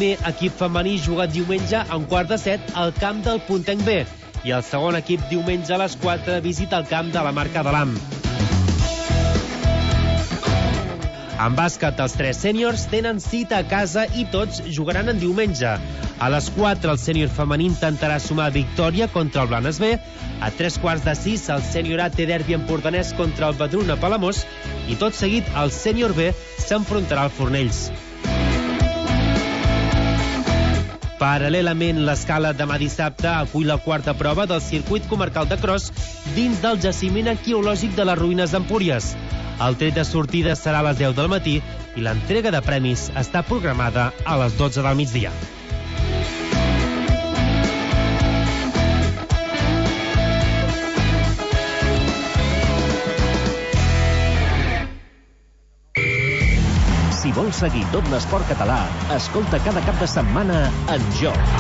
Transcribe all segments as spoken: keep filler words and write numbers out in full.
primer equip femení juga diumenge a un quart de set al camp del Puntenc B i el segon equip diumenge a les quatre visita el camp de la Marca de l'A M. En bàsquet, els tres sèniors tenen cita a casa i tots jugaran en diumenge. A les quatre, el sènior femení intentarà sumar victòria contra el Blanes B. A tres quarts de sis, el sènior A té derbi empordanès contra el Badruna Palamós. I tot seguit, el sènior B s'enfrontarà al Fornells. Paral·lelament, l'Escala demà dissabte acull la quarta prova del circuit comarcal de Cros dins del jaciment arqueològic de les ruïnes d'Empúries. El tret de sortida serà a les deu del matí i l'entrega de premis està programada a les dotze del migdia. Si vols seguir tot l'esport català, escolta cada cap de setmana En Joc.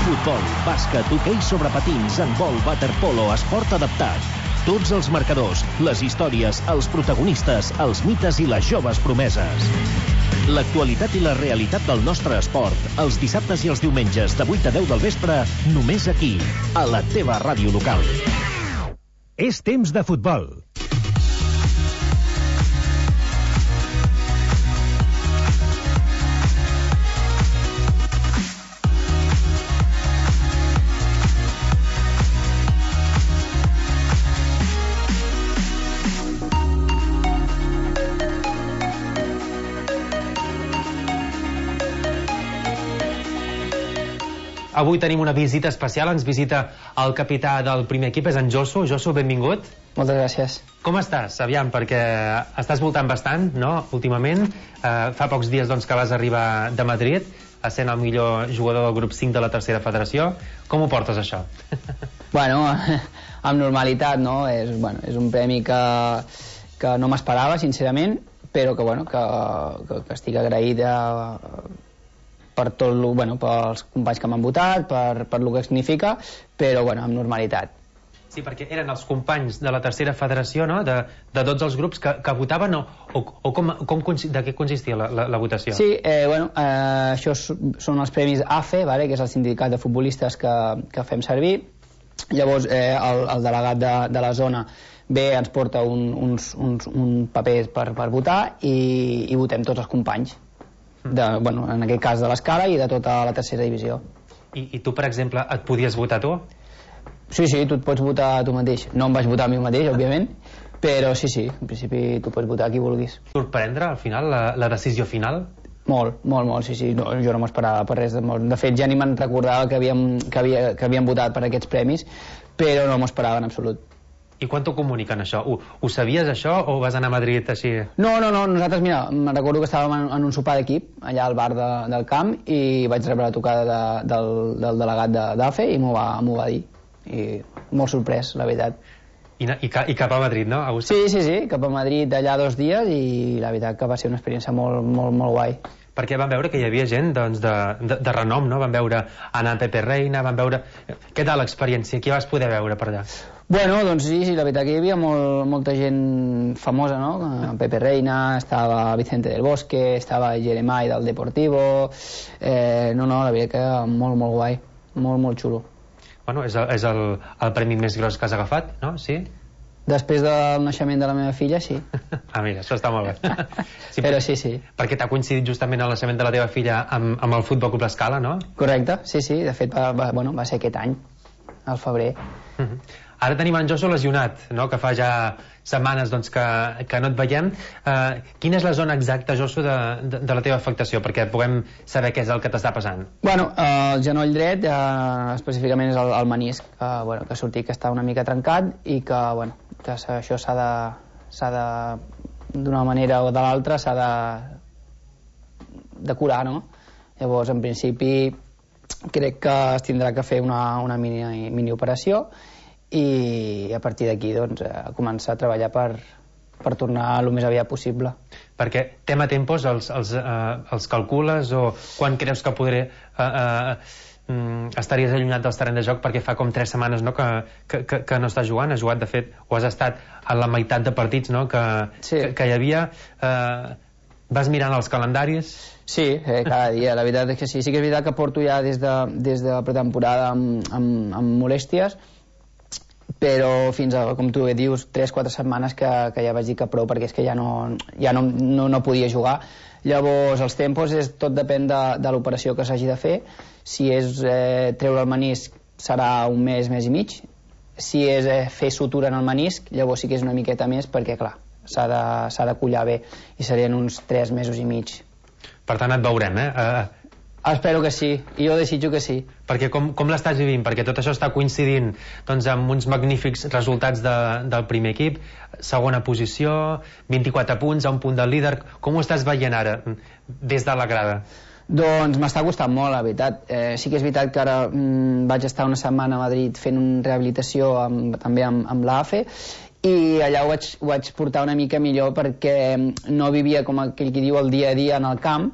Futbol, bàsquet, hoquei sobre patins, handbol, waterpolo, esport adaptat. Tots els marcadors, les històries, els protagonistes, els mites i les joves promeses. L'actualitat i la realitat del nostre esport, els dissabtes i els diumenges de vuit a deu del vespre, només aquí, a la teva ràdio local. És temps de futbol. Avui tenim una visita especial, ens visita el capità del primer equip, és en Josu. Josu, benvingut. Moltes gràcies. Com estàs? Aviam, perquè estàs voltant bastant, no?, últimament. Uh, fa pocs dies doncs, que vas arribar de Madrid, sent el millor jugador del grup cinc de la tercera federació. Com ho portes, això? Bueno, amb normalitat, no? És, bueno, és un premi que, que no m'esperava, sincerament, però que, bueno, que, que, que estic agraït a... per tot, bueno, pels companys que m'han votat, per, per lo que significa, però bueno, amb normalitat. Sí, perquè eren els companys de la tercera federació, no?, de, de tots els grups que, que votaven, o, o, o com, com, de què consistia la, la, la votació? Sí, eh, bueno, eh, això són els premis A F E, vale, que és el sindicat de futbolistes que, que fem servir. Llavors, eh, el, el delegat de, de la zona ve, ens porta un, uns, uns, un paper per, per votar i, i votem tots els companys. De, bueno, en aquest cas de l'Escala i de tota la tercera divisió. I, I tu, per exemple, et podies votar tu? Sí, sí, tu et pots votar a tu mateix. No em vaig votar a mi mateix, òbviament, però sí, sí, en principi tu pots votar a qui vulguis. Sorprendre, al final, la, la decisió final? Molt, molt, molt, sí, sí, no, jo no m'esperava per res de molt. De fet, ja ni me'n recordava que havíem, que, havia, que havíem votat per aquests premis, però no m'ho esperava en absolut. I quan t'ho comuniquen, això? Ho, ho sabies, això, o vas anar a Madrid així? No, no, no, nosaltres, mira, me'n recordo que estàvem en, en un sopar d'equip, allà al bar de, del camp, i vaig rebre la tocada de, del, del delegat d'A F E i m'ho va, m'ho va dir. I molt sorprès, la veritat. I, i, i cap a Madrid, no? A sí, sí, sí, cap a Madrid allà dos dies i la veritat que va ser una experiència molt, molt, molt guai. Perquè van veure que hi havia gent doncs, de, de, de renom, no? Van veure anar a Pepe Reina, van veure... Què tal l'experiència? Qui vas poder veure per allà? Bueno, doncs sí, sí, la veritat que hi havia molt, molta gent famosa, no? Pepe Reina, estava Vicente del Bosque, estava Jeremai del Deportivo... Eh, no, no, la veritat que molt, molt guai, molt, molt xulo. Bueno, és el, és el, el premi més gros que has agafat, no? Sí? Després del naixement de la meva filla, sí. Ah, mira, això està molt bé. Sí, però sí, sí. Perquè t'ha coincidit justament el naixement de la teva filla amb, amb el Futbol Club L'Escala, no? Correcte, sí, sí. De fet, va, va, bueno, va ser aquest any, al febrer. Uh -huh. Ara tenim en Josu lesionat, no?, que fa ja setmanes doncs, que, que no et veiem. Uh, quina és la zona exacta, Josu, de, de, de la teva afectació, perquè puguem saber què és el que t'està passant? Bueno, uh, el genoll dret, uh, específicament és el, el menisc, que, bueno, que ha sortit que està una mica trencat i que, bueno, que això s'ha de, s'ha de, d'una manera o de l'altra, s'ha de, de curar, no? Llavors, en principi, crec que es tindrà que fer una, una mini, mini operació i a partir d'aquí doncs, a començar a treballar per, per tornar el més aviat possible. Perquè tema tempos els, els, uh, els calcules o quan creus que podré uh, uh, um, estaries allunyat dels terrenys de joc, perquè fa com tres setmanes, no?, que, que, que, que no estàs jugant, has jugat, de fet, o has estat a la meitat de partits, no?, que, sí. que, que hi havia. Uh, Vas mirant els calendaris? Sí, eh, cada dia, la veritat és que sí. Sí que és veritat que porto ja des de, des de la pretemporada amb, amb, amb molèsties, però fins a, com tu bé dius, tres quatre setmanes que, que ja vaig dir que prou, perquè és que ja no, ja no, no, no podia jugar. Llavors, els tempos, és, tot depèn de, de l'operació que s'hagi de fer. Si és eh, treure el menisc, serà un mes, mes i mig. Si és eh, fer sutura en el menisc, llavors sí que és una miqueta més, perquè, clar, s'ha de, s'ha de collar bé, i serien uns tres mesos i mig. Per tant, et veurem, eh? Uh... Espero que sí, i jo desitjo que sí. Perquè com, com l'estàs vivint? Perquè tot això està coincidint doncs, amb uns magnífics resultats de, del primer equip, segona posició, vint-i-quatre punts, a un punt del líder. Com ho estàs veient ara, des de la grada? Doncs m'està costant molt, la veritat. Eh, sí que és veritat que ara mm, vaig estar una setmana a Madrid fent una rehabilitació amb, també amb, amb l'A F E, i allà ho vaig, ho vaig portar una mica millor, perquè no vivia, com aquell qui diu, el dia a dia en el camp,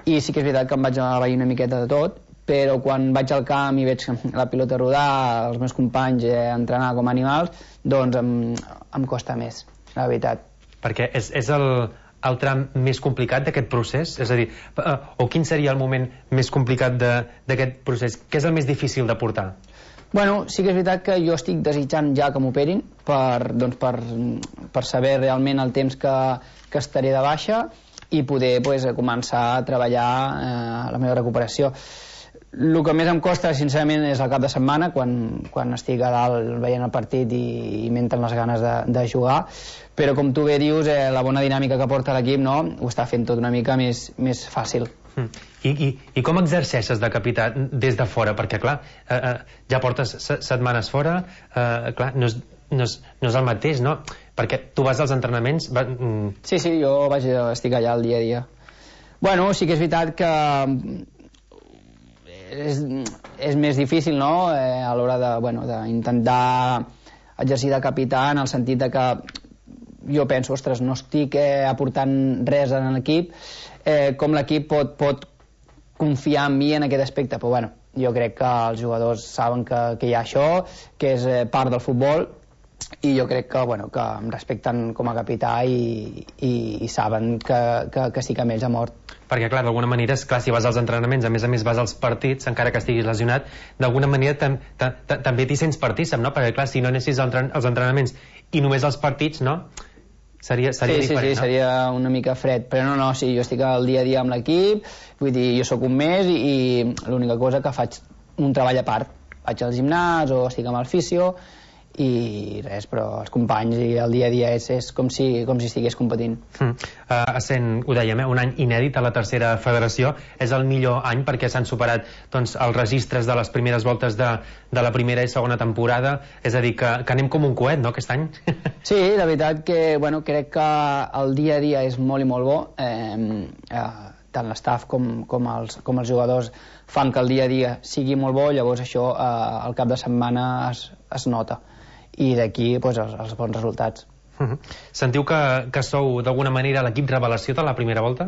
i sí que és veritat que em vaig abair una miqueta de tot, però quan vaig al camp i veig la pilota rodar, els meus companys eh, entrenar com animals, doncs em, em costa més, la veritat. Perquè és, és el, el tram més complicat d'aquest procés? És a dir, o quin seria el moment més complicat d'aquest procés? Què és el més difícil de portar? Bueno, sí que és veritat que jo estic desitjant ja que m'operin per, doncs per, per saber realment el temps que, que estaré de baixa i poder pues, començar a treballar eh, la meva recuperació. El que més em costa, sincerament, és el cap de setmana, quan, quan estic a dalt veient el partit i, i m'entren les ganes de, de jugar, però com tu bé dius, eh, la bona dinàmica que porta l'equip, no?, ho està fent tot una mica més, més fàcil. I, i, i com exerceixes de capità des de fora? Perquè, clar, eh, eh, ja portes setmanes fora, eh, clar, no és, no, és, no és el mateix, no? Perquè tu vas als entrenaments... Va, mm... Sí, sí, jo vaig, estic allà el dia a dia. Bueno, sí que és veritat que és, és més difícil, no?, eh, a l'hora de, bueno, d'intentar exercir de capità, en el sentit de que jo penso, ostres, no estic eh, aportant res en l'equip, eh, com l'equip pot, pot confiar en mi en aquest aspecte, però bueno, jo crec que els jugadors saben que, que hi ha això, que és eh, part del futbol, i jo crec que, bueno, que em respecten com a capità i, i, i saben que, que, que sí que amb ells ha mort. Perquè, clar, d'alguna manera, és clar, si vas als entrenaments, a més a més vas als partits, encara que estiguis lesionat, d'alguna manera tam, tam, tam, també t'hi sents partícip, no? Perquè, clar, si no anessis als entrenaments i només als partits, no?, seria, seria sí, diferent, sí, sí, no? seria una mica fred, però no, no, sí, jo estic al dia a dia amb l'equip, vull dir, jo sóc un mes i, i l'única cosa que faig un treball a part, vaig al gimnàs o estic amb el fisio i res, però els companys i el dia a dia és, és com, si, com si estigués competint. Mm. Uh, essent, ho dèiem, eh, un any inèdit a la tercera federació, és el millor any perquè s'han superat doncs, els registres de les primeres voltes de, de la primera i segona temporada, és a dir, que, que anem com un coet, no?, aquest any. Sí, la veritat que, bueno, crec que el dia a dia és molt i molt bo, eh, eh, tant l'estaf com, com, els, com els jugadors fan que el dia a dia sigui molt bo, llavors això eh, al cap de setmana es, es nota, i d'aquí pues, els, els bons resultats. Uh-huh. Sentiu que, que sou d'alguna manera l'equip revelació de la primera volta?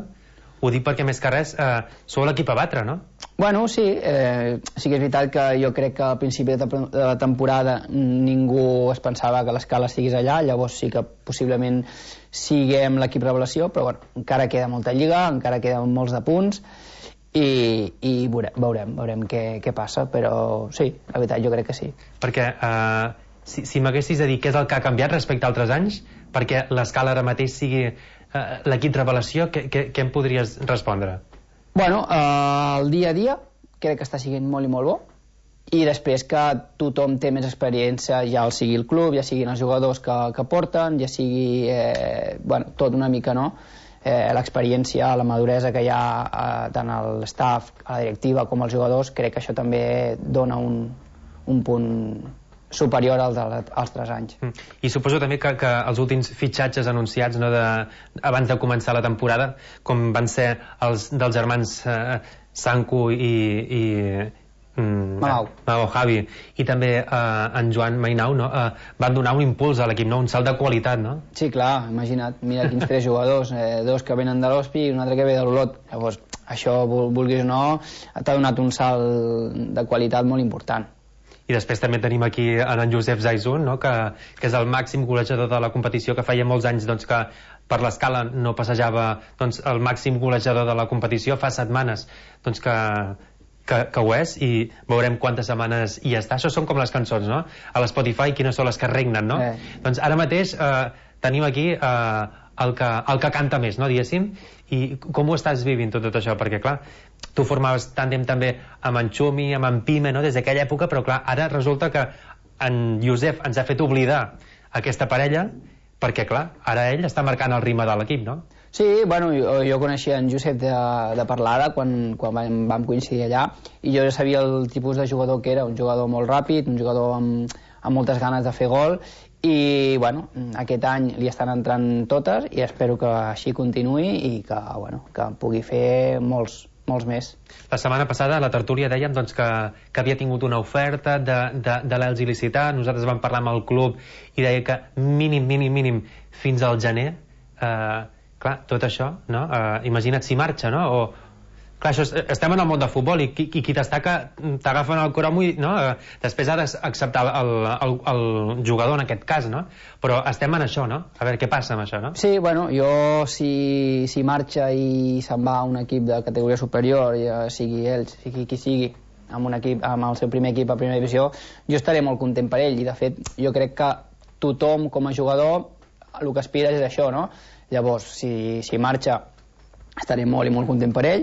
Ho dic perquè més que res eh, sou l'equip a batre, no? Bueno, sí, eh, sí que és veritat que jo crec que al principi de la temporada ningú es pensava que l'escala estigués allà, llavors sí que possiblement siguem l'equip revelació, però bueno, encara queda molta lliga, encara queden molts de punts i, i veurem, veurem, veurem què, què passa, però sí, la veritat jo crec que sí. Perquè eh, si, si m'haguessis de dir què és el que ha canviat respecte a altres anys perquè l'escala ara mateix sigui eh, l'equip revelació, què, què, què em podries respondre? Bueno, eh, el dia a dia crec que està siguent molt i molt bo, i després que tothom té més experiència, ja el sigui el club, ja siguin els jugadors que, que porten, ja sigui eh, bueno, tot una mica, no? Eh, l'experiència, la maduresa que hi ha eh, tant a l'estaf, a la directiva com als jugadors, crec que això també dona un, un punt superior als altres anys. Mm. I suposo també que, que els últims fitxatges anunciats, no, de, abans de començar la temporada, com van ser els dels germans eh, Sanku i, i mm, Malau. Malau Javi, i també eh, en Joan Mainau, no, eh, van donar un impuls a l'equip, no, un salt de qualitat, no? Sí, clar, imagina't, mira quins tres jugadors, eh, dos que venen de l'Hospi i un altre que ve de l'Olot. Llavors, això, vulguis o no, t'ha donat un salt de qualitat molt important. I després també tenim aquí en Josep Zaizun, no? que, que és el màxim golejador de la competició, que feia molts anys doncs, que per l'escala no passejava doncs, el màxim golejador de la competició fa setmanes doncs, que, que, que ho és, i veurem quantes setmanes hi està. Això són com les cançons, no? A l'Spotify, quines són les que regnen, no? Eh. Doncs ara mateix eh, tenim aquí eh, el, que, el que canta més, no, diguéssim, i com ho estàs vivint tot, tot això? Perquè, clar, tu formaves tàndem també amb en Xumi, amb en Pime, no?, des d'aquella època, però, clar, ara resulta que en Josep ens ha fet oblidar aquesta parella, perquè, clar, ara ell està marcant el ritme de l'equip, no? Sí, bueno, jo, jo coneixia en Josep de, de parlada quan, quan vam, vam coincidir allà, i jo ja sabia el tipus de jugador que era, un jugador molt ràpid, un jugador amb, amb moltes ganes de fer gol, i bueno, aquest any li estan entrant totes i espero que així continuï i que, bueno, que pugui fer molts, molts més. La setmana passada a la tertúlia dèiem doncs, que, que havia tingut una oferta de, de, de l'Elx il·licità. Nosaltres vam parlar amb el club i deia que mínim, mínim, mínim fins al gener. Eh, clar, tot això, no? Eh, imagina't si marxa, no? O, clar, això és, estem en el món del futbol i qui, qui t'estaca t'agafen el cromo i, no? Eh, després ha d'acceptar el, el, el jugador en aquest cas, no? Però estem en això, no? A veure què passa amb això, no? Sí, bueno, jo si, si marxa i se'n va a un equip de categoria superior, ja sigui ell, sigui qui sigui, amb un equip, amb el seu primer equip a primera divisió, jo estaré molt content per ell, i de fet jo crec que tothom com a jugador el que aspira és això, no? Llavors, si, si marxa estaré molt i molt content per ell,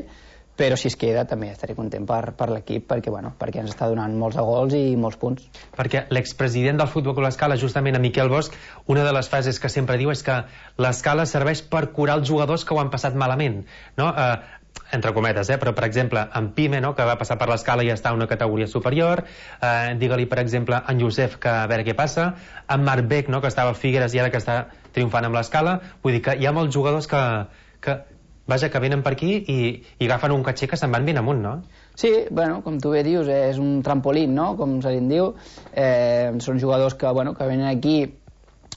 però si es queda també estaré content per, per l'equip, perquè, bueno, perquè ens està donant molts de gols i molts punts. Perquè l'expresident del Futbol Club L'Escala, justament a Miquel Bosch, una de les frases que sempre diu és que l'Escala serveix per curar els jugadors que ho han passat malament, no? Eh, entre cometes, eh? Però per exemple en Pime, no?, que va passar per l'Escala i està a una categoria superior, eh, digue-li per exemple en Josep, que a veure què passa, en Marc Beck, no?, que estava al Figueres i ara que està triomfant amb l'Escala. Vull dir que hi ha molts jugadors que, que vaja, que venen per aquí i, i agafen un caché que se'n van ben amunt, no? Sí, bueno, com tu bé dius, eh, és un trampolín, no?, com se li diu. Eh, són jugadors que, bueno, que venen aquí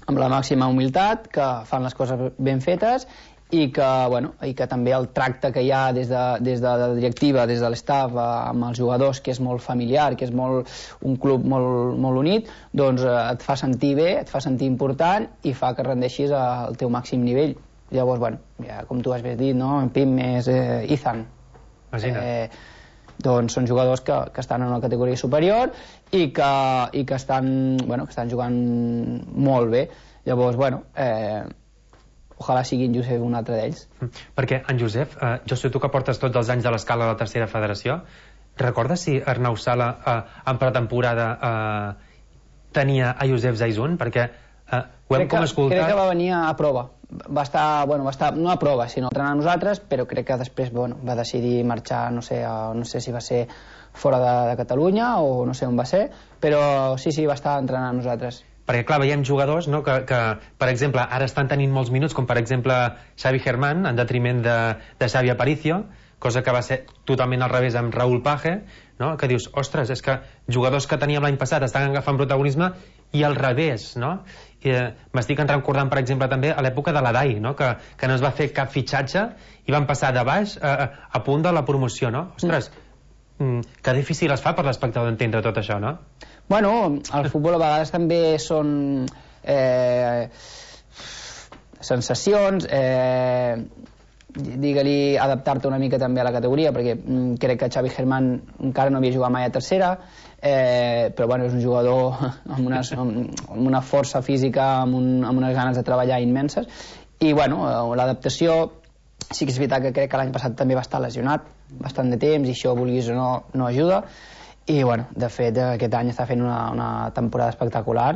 amb la màxima humilitat, que fan les coses ben fetes i que, bueno, i que també el tracte que hi ha des de, des de la directiva, des de l'estaf amb els jugadors, que és molt familiar, que és molt, un club molt, molt unit, doncs eh, et fa sentir bé, et fa sentir important i fa que rendeixis al teu màxim nivell. Llavors, bueno, ja, com tu has dit, no? En Pim és eh, Ethan. Eh, doncs són jugadors que, que estan en una categoria superior i que, i que, estan, bueno, que estan jugant molt bé. Llavors, bueno, eh, ojalà sigui en Josep un altre d'ells. Perquè en Josep, eh, jo sé tu que portes tots els anys de l'Escala a la tercera federació, recordes si Arnau Sala eh, en pretemporada eh, tenia a Josep Zaizun? Perquè eh, ho hem com escoltat... Crec que va venir a prova. Va estar, bueno, va estar, no a prova, sinó a entrenar a nosaltres, però crec que després, bueno, va decidir marxar, no sé, a, no sé si va ser fora de, de Catalunya o no sé on va ser, però sí, sí, va estar entrenant a nosaltres. Perquè, clar, veiem jugadors, no?, que, que, per exemple, ara estan tenint molts minuts, com per exemple Xavi Germán, en detriment de, de Xavi Aparicio, cosa que va ser totalment al revés amb Raúl Page, no?, que dius, ostres, és que jugadors que teníem l'any passat estan agafant protagonisme i al revés, no? Eh, m'estic recordant, per exemple, també a l'època de l'Adai, no?, que, que no es va fer cap fitxatge i van passar de baix a, a punt de la promoció, no? Ostres, mm. que difícil es fa per l'espectador d'entendre tot això, no? Bueno, el futbol a vegades també són eh, sensacions, eh, digue-li adaptar-te una mica també a la categoria, perquè mm, crec que Xavi Germán encara no havia jugat mai a tercera, eh, però bueno, és un jugador amb, unes, amb, amb una força física, amb, un, amb unes ganes de treballar immenses, i bueno, l'adaptació sí que és veritat que crec que l'any passat també va estar lesionat bastant de temps i això, vulguis o no, no ajuda, i bueno, de fet aquest any està fent una, una temporada espectacular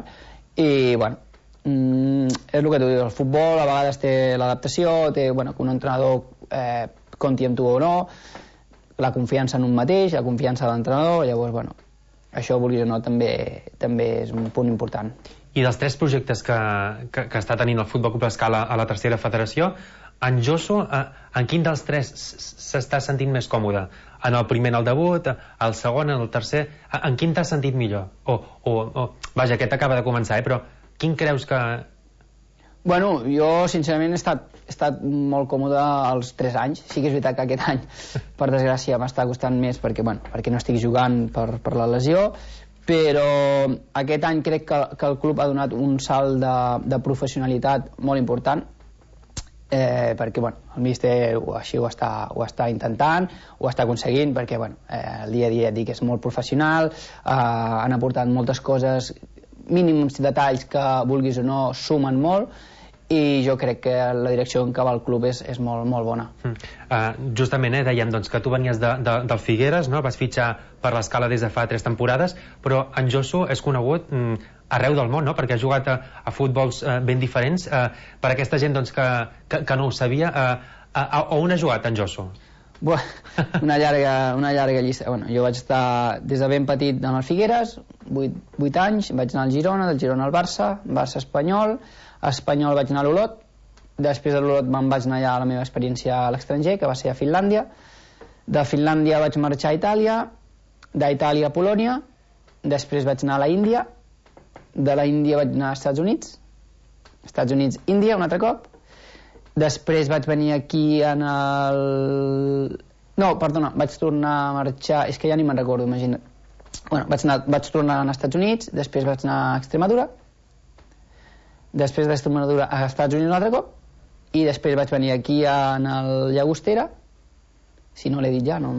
i bueno, mm, és el que tu dius, el futbol a vegades té l'adaptació, té, bueno, que un entrenador eh, compti amb tu o no, la confiança en un mateix, la confiança de l'entrenador, llavors bueno, això, vulguis o no, també, també és un punt important. I dels tres projectes que, que, que està tenint el Futbol Club L'Escala a la tercera federació, en Josu, eh, en quin dels tres s'està sentint més còmode? En el primer, en el debut, el segon, en el tercer, en quin t'has sentit millor? O, o, o, vaja, aquest acaba de començar, eh? Però quin creus que... Bueno, jo sincerament he estat, he estat molt còmode els tres anys. Sí que és veritat que aquest any, per desgràcia, m'està costant més perquè, bueno, perquè no estic jugant per, per la lesió, però aquest any crec que, que el club ha donat un salt de, de professionalitat molt important eh, perquè bueno, el míster així ho està, ho està intentant, ho està aconseguint, perquè bueno, eh, el dia a dia dic, és molt professional, eh, han aportat moltes coses, mínims detalls que vulguis o no sumen molt, i jo crec que la direcció en què va el club és, és molt, molt bona. Mm. Uh, justament, eh, dèiem doncs, que tu venies de, de, del Figueres, no? Vas fitxar per l'Escala des de fa tres temporades, però en Josu és conegut mm, arreu del món, no? Perquè ha jugat a, a futbols uh, ben diferents. Uh, per aquesta gent doncs, que, que, que no ho sabia, uh, a, a, on ha jugat en Josu? Buah, una llarga, una llarga llista. Bueno, jo vaig estar des de ben petit en el Figueres, vuit anys, vaig anar al Girona, del Girona al Barça, Barça Espanyol, Espanyol vaig anar a l'Olot, després de l'Olot me'n vaig anar allà a la meva experiència a l'estranger, que va ser a Finlàndia, de Finlàndia vaig marxar a Itàlia, d'Itàlia a Polònia, després vaig anar a la Índia, de la Índia vaig anar als Estats Units, Estats Units, Índia, un altre cop, després vaig venir aquí en el... No, perdona, vaig tornar a marxar... És que ja ni me'n recordo, imagina't. Bueno, vaig, anar, vaig tornar als Estats Units, després vaig anar a Extremadura, després d'Extremadura a Estats Units un altre cop, i després vaig venir aquí en el Llagostera, si no l'he dit ja, no,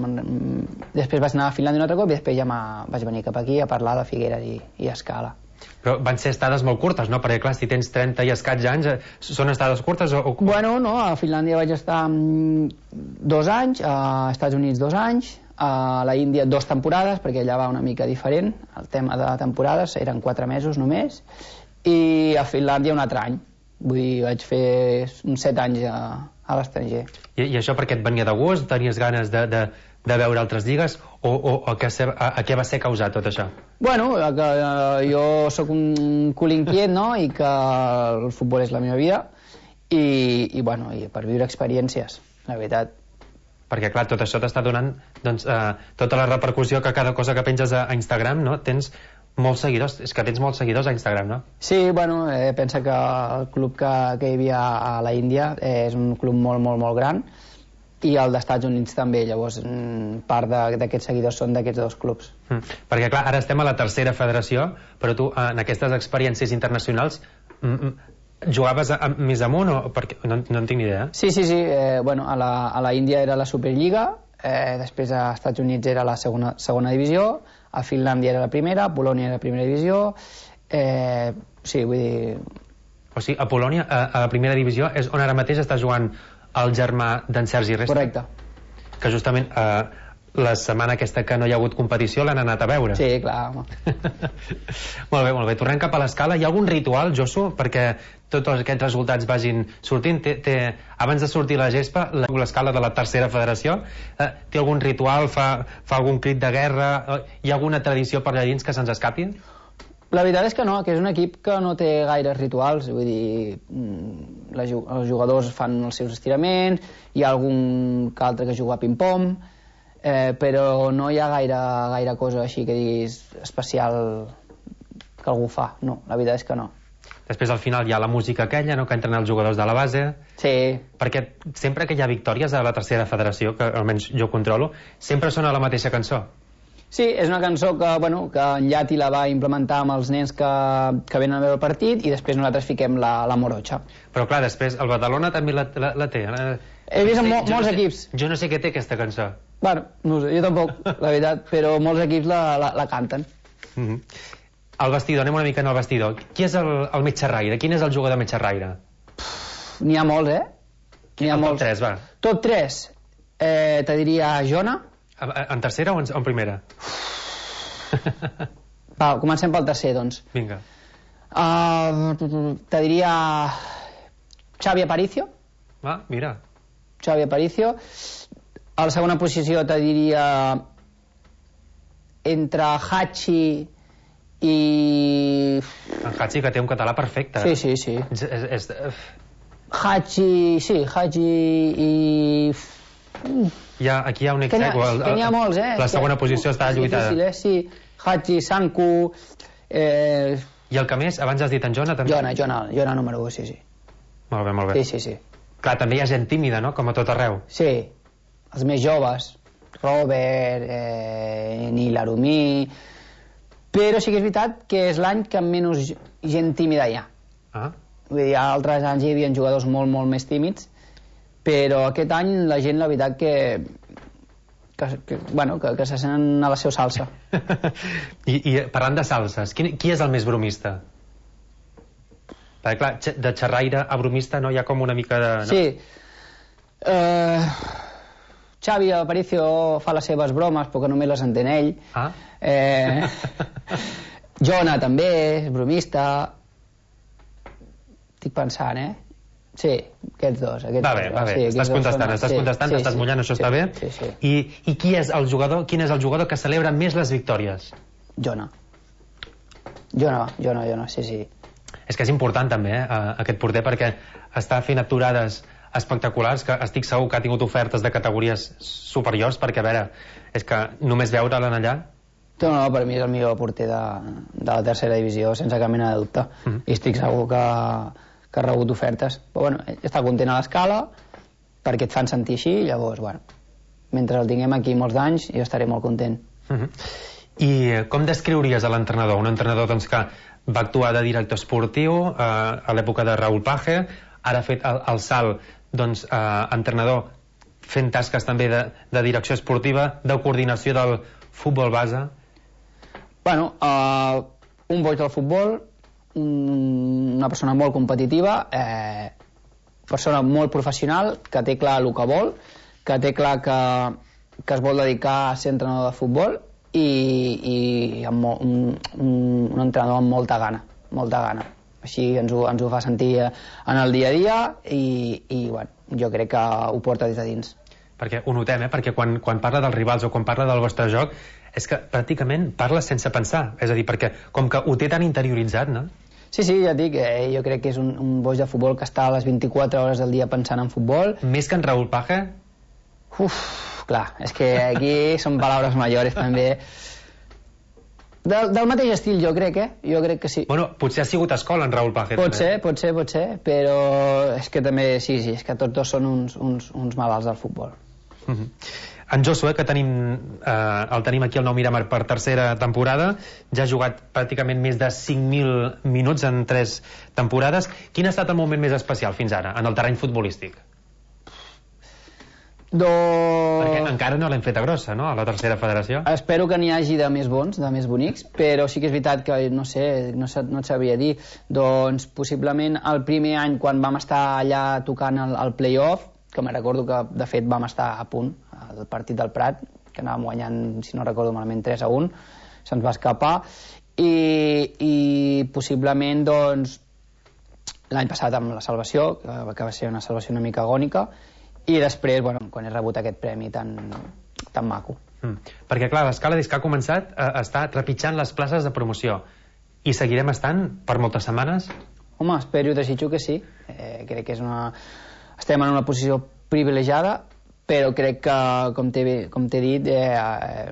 després vaig anar a Finlàndia un altre cop i després ja vaig venir cap aquí a parlar de Figueres i, i Escala. Però van ser estades molt curtes, no? Perquè, clar, si tens trenta i escaig anys, són estades curtes o... Bueno, no, a Finlàndia vaig estar dos anys, a Estats Units dos anys, a la Índia dos temporades, perquè allà va una mica diferent, el tema de temporades, eren quatre mesos només, i a Finlàndia un altre any. Vull dir, vaig fer uns set anys a, a l'estranger. I, I això perquè et venia de gust? Tenies ganes de, de, de veure altres lligues? O, o a, què se, a, a què va ser causat tot això? Bueno, que eh, jo sóc un cul inquiet, no?, i que el futbol és la meva vida, i, i bueno, i per viure experiències, la veritat. Perquè, clar, tot això t'està donant doncs, eh, tota la repercussió que cada cosa que penges a, a Instagram, no?, tens molts seguidors, és que tens molts seguidors a Instagram, no? Sí, bueno, eh, pensa que el club que, que hi havia a la Índia eh, és un club molt, molt, molt gran, i el dels Estats Units també, llavors part d'aquests seguidors són d'aquests dos clubs. Mm. Perquè, clar, ara estem a la tercera federació, però tu, en aquestes experiències internacionals, mm, jugaves a, a, més amunt o...? Perquè no, no en tinc ni idea. Sí, sí, sí, eh, bueno, a la, a la Índia era la Superliga, eh, després a Estats Units era la segona, segona divisió, a Finlàndia era la primera, a Polònia era la primera divisió, eh, sí, vull dir... O sigui, a Polònia, a, a la primera divisió, és on ara mateix està jugant el germà d'en Sergi Resta? Correcte. Que justament eh, la setmana aquesta que no hi ha hagut competició l'han anat a veure. Sí, clar, home. Molt bé, molt bé. Tornem cap a l'escala. Hi ha algun ritual, Josu, perquè tots aquests resultats vagin sortint? Té, té, abans de sortir la gespa, l'escala de la tercera federació, eh, té algun ritual? Fa, fa algun crit de guerra? Eh, hi ha alguna tradició per allà dins que se'ns escapi? La veritat és que no, que és un equip que no té gaires rituals, vull dir, la, els jugadors fan els seus estiraments, hi ha algun que altre que juga a ping-pong, eh, però no hi ha gaire, gaire cosa així que diguis especial que algú fa, no, la veritat és que no. Després al final hi ha la música aquella, no?, que entren els jugadors de la base. Sí. Perquè sempre que hi ha victòries a la tercera federació, que almenys jo controlo, sempre sona la mateixa cançó. Sí, és una cançó que, bueno, que en Llati la va implementar amb els nens que, que venen a veure el partit i després nosaltres fiquem la, la Morotxa. Però clar, després el Badalona també la, la, la té. La... He vist en mo jo molts no sé, equips. Jo no sé què té aquesta cançó. Bueno, no sé, jo tampoc, la veritat, però molts equips la, la, la canten. Mm -hmm. El vestidor, anem una mica en el vestidor. Qui és el, el mig xerraire? Quin és el jugador mig xerraire? N'hi ha molts, eh? N'hi ha molts. Top tres, va. Top tres. Eh, te diria Jona. En tercera o en, en primera? Va, comencem pel tercer, doncs. Vinga. Uh, te diria Xavi Aparicio. Ah, mira. Xavi Aparicio. A la segona posició te diria entre Hachi i... En Hachi, que té un català perfecte. Sí, sí, sí. És, és, és... Hachi, sí, Hachi i... Hi ha, aquí hi ha un exec. Que n'hi ha molts, eh? La segona posició està lluitada. Difícil, eh? Sí. Hachi, Sanku... Eh... I el que més? Abans has dit en Jona, també? Jona, Jona, Jona número u, sí, sí. Molt bé, molt bé. Sí, sí, sí. Clar, també hi ha gent tímida, no?, com a tot arreu. Sí, els més joves, Robert, eh, Nil Arumí... Però sí que és veritat que és l'any que menys gent tímida hi ha. Ah. Vull dir, altres anys hi havia jugadors molt, molt més tímids, però aquest any la gent, la veritat, que que, que, bueno, que, que se senten a la seva salsa. I, I parlant de salses, qui, qui és el més bromista? Perquè clar, de xerraire a bromista no hi ha com una mica de... No? Sí. Uh, Xavi Aparicio fa les seves bromes perquè només les entén ell. Ah. Eh, Jona també és bromista. Estic pensant, eh? Sí, aquests dos. Aquests va bé, va bé. Sí, estàs contestant, són... estàs sí, contestant, sí, estàs sí, mullant, això sí, està bé. Sí, sí. I, i qui és el jugador, quin és el jugador que celebra més les victòries? Jona. Jona, Jona, Jona, sí, sí. És que és important també, eh, aquest porter, perquè està fent aturades espectaculars, que estic segur que ha tingut ofertes de categories superiors, perquè, a veure, és que només veure-l'en allà... No, no, per mi és el millor porter de, de la tercera divisió, sense cap mena de dubte. Uh -huh. I estic segur que, que ha rebut ofertes. Però, bueno, està content a l'escala, perquè et fan sentir així, i llavors, bueno, mentre el tinguem aquí molts d'anys, jo estaré molt content. Uh -huh. I com descriuries a l'entrenador? Un entrenador, doncs, que va actuar de director esportiu eh, a l'època de Raúl Page, ara ha fet el, el salt, doncs, eh, entrenador fent tasques també de, de direcció esportiva, de coordinació del futbol base. Bueno, uh, un boig del futbol, un, una persona molt competitiva, eh, persona molt professional, que té clar el que vol, que té clar que, que es vol dedicar a ser entrenador de futbol, i, i amb mo, un, un, un entrenador amb molta gana, molta gana. Així ens ho, ens ho fa sentir en el dia a dia i, i bueno, jo crec que ho porta des de dins. Perquè ho notem, eh? Perquè quan, quan parla dels rivals o quan parla del vostre joc és que pràcticament parla sense pensar, és a dir, perquè com que ho té tan interioritzat, no? Sí, sí, ja et dic, eh, jo crec que és un, un boig de futbol que està a les vint-i-quatre hores del dia pensant en futbol. Més que en Raúl Page? Uf, clar, és que aquí són paraules majores també. Del, del mateix estil, jo crec, eh? Jo crec que sí. Bueno, potser ha sigut escola en Raúl Page. Pot també. ser, pot ser, pot ser, però és que també, sí, sí, és que tots dos són uns, uns, uns malalts del futbol. Uh -huh. En Josué, que tenim, eh, el tenim aquí al Nou Miramar per tercera temporada, ja ha jugat pràcticament més de cinc mil minuts en tres temporades. Quin ha estat el moment més especial fins ara, en el terreny futbolístic? Do... Perquè encara no l'hem feta grossa, no?, a la tercera federació. Espero que n'hi hagi de més bons, de més bonics, però sí que és veritat que, no sé, no, no et sabria dir. Doncs possiblement el primer any, quan vam estar allà tocant el, el play-off, que me recordo que de fet vam estar a punt al partit del Prat, que anàvem guanyant, si no recordo malament, tres a un, se'ns va escapar, i, i possiblement doncs l'any passat amb la salvació, que, que va ser una salvació una mica agònica, i després, bueno, quan he rebut aquest premi tan, tan maco. Mm. Perquè, clar, l'escala des que ha començat eh, està trepitjant les places de promoció. I seguirem estant per moltes setmanes? Home, espero i desitjo que sí. Eh, crec que és una... estem en una posició privilegiada, però crec que, com t'he com t'he dit, eh, eh,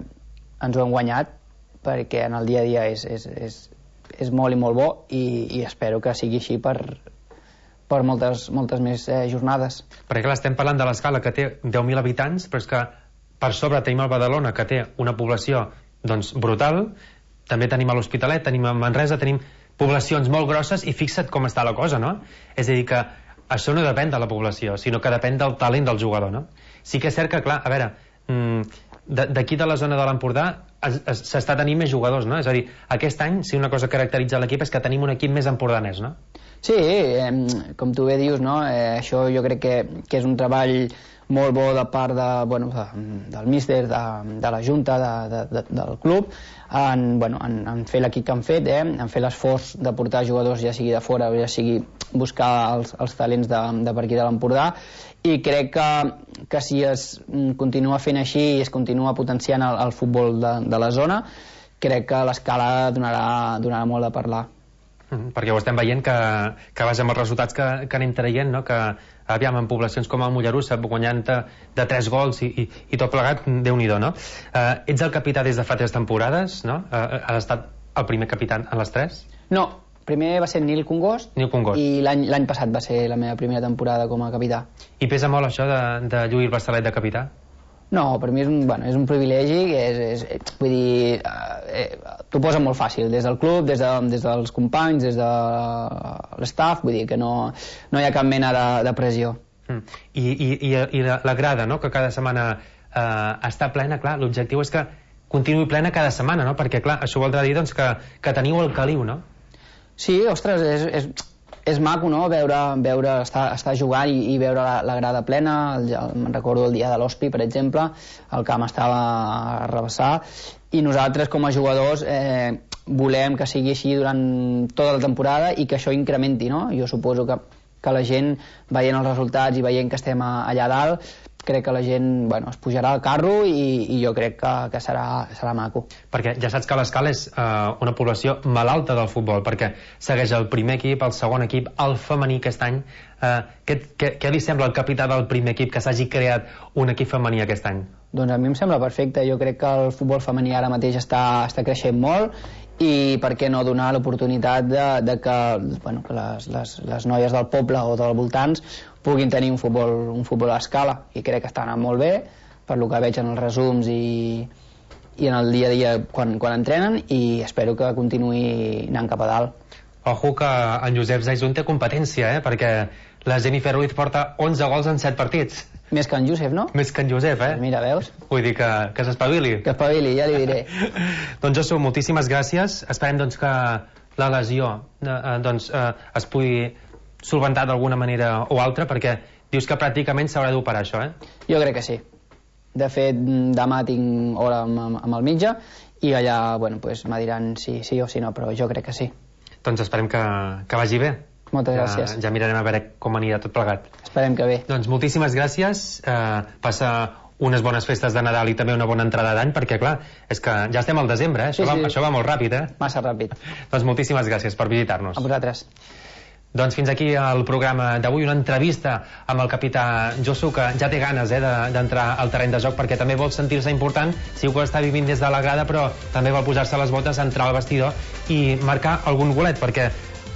ens ho hem guanyat, perquè en el dia a dia és, és, és, és molt i molt bo, i, i espero que sigui així per... per moltes, moltes més eh, jornades. Perquè clar, estem parlant de l'escala que té deu mil habitants, però és que per sobre tenim el Badalona, que té una població doncs brutal, també tenim a l'Hospitalet, tenim a Manresa, tenim poblacions molt grosses, i fixa't com està la cosa, no? És a dir, que això no depèn de la població, sinó que depèn del talent del jugador, no? Sí que és cert que, clar, a veure, d'aquí de la zona de l'Empordà s'està tenint més jugadors, no? És a dir, aquest any, si una cosa caracteritza l'equip és que tenim un equip més empordanès, no? Sí, eh, com tu bé dius, no? Eh, això jo crec que, que és un treball molt bo de part de, bueno, de, del míster, de, de la junta, de, de, de, del club, en, bueno, en, en fer l'equip que han fet, eh? En fer l'esforç de portar jugadors, ja sigui de fora o ja sigui buscar els, els talents de, de per aquí de l'Empordà, i crec que, que si es continua fent així i es continua potenciant el, el futbol de, de la zona, crec que l'escala donarà, donarà molt a parlar. Mm, perquè ho estem veient que, que vaja amb els resultats que, que anem traient, no? Que aviam, en poblacions com el Mollerussa, guanyant de, de tres gols i, i, i tot plegat, Déu-n'hi-do, no? Uh, ets el capità des de fa tres temporades, no? Uh, has estat el primer capità en les tres? No, primer va ser Nil Congost, Nil Congost. I l'any passat va ser la meva primera temporada com a capità. I pesa molt això de, de lluir el braçalet de capità? No, per mi és un, bueno, és un privilegi, és, és, vull dir, eh, t'ho posa molt fàcil, des del club, des, de, des dels companys, des de l'staff, vull dir que no, no hi ha cap mena de, de pressió. Mm. I, i, i, i la, la grada, no?, que cada setmana eh, està plena, clar, l'objectiu és que continuï plena cada setmana, no?, perquè, clar, això voldrà dir, doncs, que, que teniu el caliu, no? Sí, ostres, és, és, és maco, no?, veure, veure estar, estar jugant i, i veure la, la grada plena. El, el, me'n recordo el dia de l'Hospi, per exemple, el camp estava a rebassar, i nosaltres, com a jugadors, eh, volem que sigui així durant tota la temporada i que això incrementi, no? Jo suposo que, que la gent, veient els resultats i veient que estem a, allà dalt, crec que la gent, bueno, es pujarà al carro i, i jo crec que, que serà, serà maco. Perquè ja saps que l'Escala és eh, una població malalta del futbol, perquè segueix el primer equip, el segon equip, el femení aquest any. Eh, què, què, què li sembla al capità del primer equip que s'hagi creat un equip femení aquest any? Doncs a mi em sembla perfecte. Jo crec que el futbol femení ara mateix està, està creixent molt, i per què no donar l'oportunitat de, de que, bueno, que les, les, les noies del poble o dels voltants puguin tenir un futbol, un futbol a escala, i crec que està anant molt bé per lo que veig en els resums i, i en el dia a dia quan, quan entrenen, i espero que continuï anant cap a dalt. Ojo que en Josep Zaizun té competència, eh? Perquè la Jennifer Ruiz porta onze gols en set partits. Més que en Josep, no? Més que en Josep, eh? Mira, veus? Vull dir que, que s'espavili. Que espavili, ja li diré. Doncs Josu, moltíssimes gràcies. Esperem doncs, que la lesió eh, doncs, eh, es pugui solventar d'alguna manera o altra, perquè dius que pràcticament s'haurà d'operar això, eh? Jo crec que sí. De fet, demà tinc hora amb, amb el metge i allà, bueno, pues, me diran si sí o si no, però jo crec que sí. Doncs esperem que, que vagi bé. Moltes ja, gràcies. Ja mirarem a veure com anirà tot plegat. Esperem que bé. Doncs moltíssimes gràcies. Eh, passa unes bones festes de Nadal i també una bona entrada d'any, perquè, clar, és que ja estem al desembre, eh? Això, sí, sí. Va, això va molt ràpid, eh? Massa ràpid. Doncs moltíssimes gràcies per visitar-nos. A vosaltres. Doncs fins aquí el programa d'avui, una entrevista amb el capità Josu, que ja té ganes eh, d'entrar al terreny de joc, perquè també vol sentir-se important. Segur que està vivint des de la grada, però també vol posar-se les botes, entrar al vestidor i marcar algun golet, perquè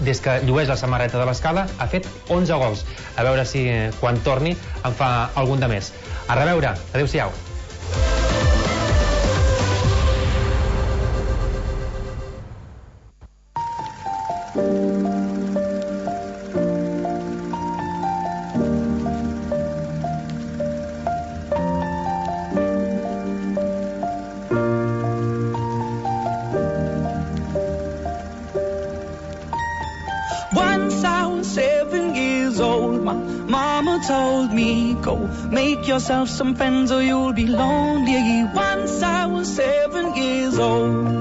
des que llueix la samarreta de l'Escala ha fet onze gols. A veure si quan torni en fa algun de més. A reveure. Adéu-siau. Told me, go make yourself some friends or you'll be lonely. Once I was seven years old.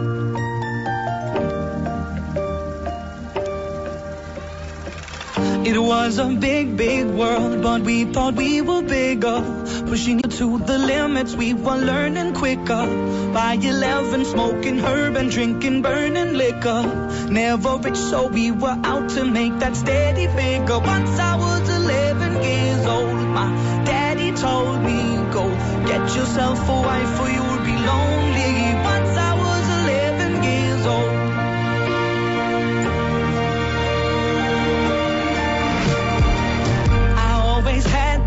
It was a big, big world, but we thought we were bigger. Pushing it to the limits, we were learning quicker. By eleven, smoking herb and drinking burning liquor. Never rich, so we were out to make that steady figure. Once I was eleven years old, my daddy told me, go get yourself a wife or you'll be lonely. Once I was eleven years old.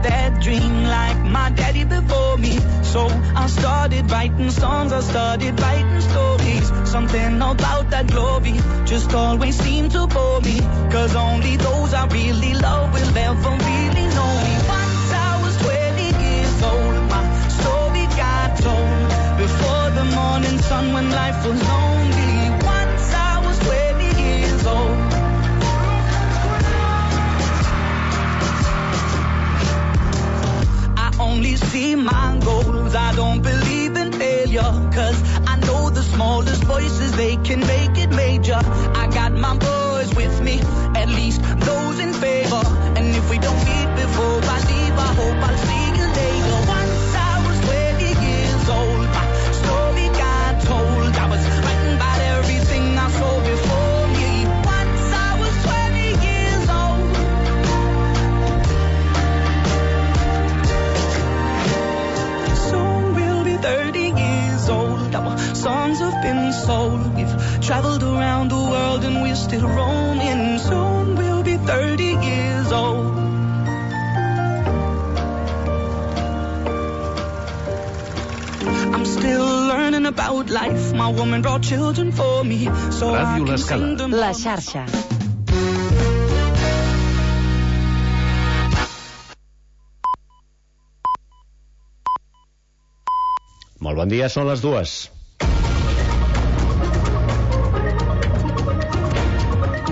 That dream like my daddy before me. So I started writing songs, I started writing stories. Something about that glory just always seemed to bore me. Cause only those I really love will ever really know me. Once I was twenty years old, my story got told. Before the morning sun when life was lonely. Once I was twenty years old. Only see my goals, I don't believe in failure. Cause I know the smallest voices, they can make it major. I got my boys with me, at least those in favor. And if we don't meet before I leave, I hope I'll see you later. Once I was twenty years old, my story got told. I was writing about everything I saw before me. Once I was twenty years old. thirty years old, our songs have been sold. We've traveled around the world and we're still roaming. Soon we'll be thirty years old. I'm still learning about life. My woman brought children for me, so I can sing them. La xarxa. Molt bon dia, són les dues.